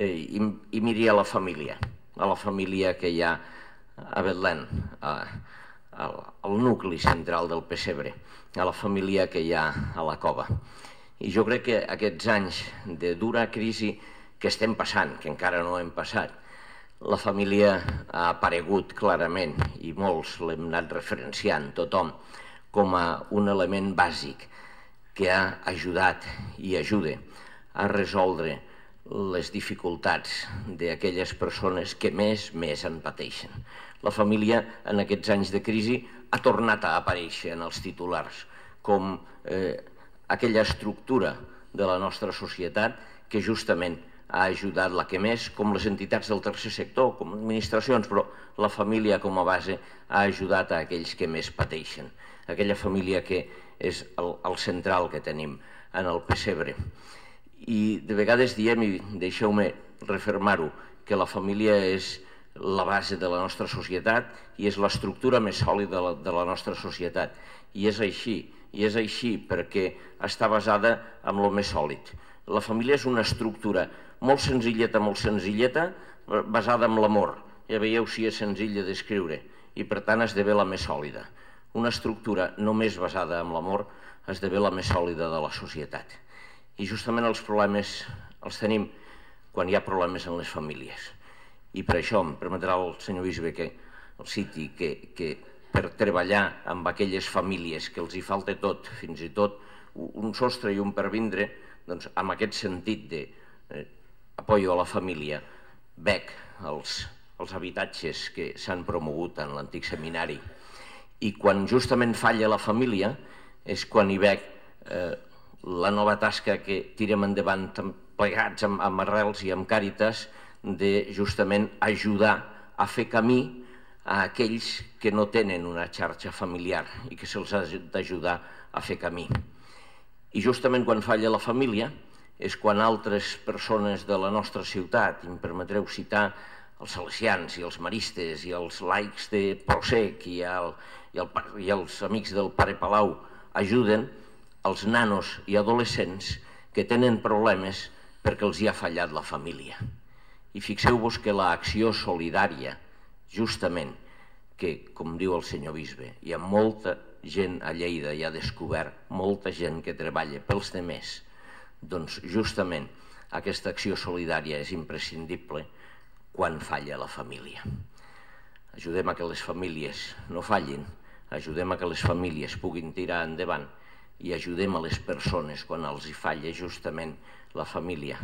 i miri a la família que hi ha a Betlem, al nucli central del pessebre, a la família que hi ha a la cova. I jo crec que aquests anys de dura crisi que estem passant, que encara no hem passat, la família ha aparegut clarament, i molts l'hem anat referenciant, tothom, com a un element bàsic que ha ajudat i ajuda a resoldre les dificultats d'aquelles persones que més en pateixen. La família, en aquests anys de crisi, ha tornat a aparèixer en els titulars com aquella estructura de la nostra societat que justament ha ajudat la que més, com les entitats del tercer sector, com administracions, però la família com a base ha ajudat a aquells que més pateixen. Aquella família que és el central que tenim en el pessebre. I de vegades diem, i deixeu-me refermar-ho, que la família és la base de la nostra societat i és l'estructura més sòlida de la nostra societat. I és així perquè està basada en el més sòlid. La família és una estructura molt senzilleta, basada en l'amor. Ja veieu si és senzill de descriure i per tant esdevé la més sòlida. Una estructura només basada en l'amor esdevé la més sòlida de la societat. I justament els problemes els tenim quan hi ha problemes en les famílies. I per això em permetrà el senyor bisbe que el citi, que per treballar amb aquelles famílies que els hi falta tot, fins i tot un sostre i un pervindre, doncs amb aquest sentit d'apoyo a la família, veig els habitatges que s'han promogut en l'antic seminari. I quan justament falla la família és quan hi veig la nova tasca que tirem endavant plegats amb Arrels i amb Càritas de justament ajudar a fer camí a aquells que no tenen una xarxa familiar i que se'ls ha d'ajudar a fer camí. I justament quan falla la família és quan altres persones de la nostra ciutat, i em permetreu citar els salesians i els maristes i els laics de Prosec i els amics del Pare Palau ajuden els nanos i adolescents que tenen problemes perquè els hi ha fallat la família. I fixeu-vos que l'acció solidària, justament, que, com diu el senyor bisbe, hi ha molta gent a Lleida, i ha descobert molta gent que treballa pels demés, doncs justament aquesta acció solidària és imprescindible quan falla la família. Ajudem a que les famílies no fallin, ajudem a que les famílies puguin tirar endavant i ajudem a les persones quan els hi falla justament la família.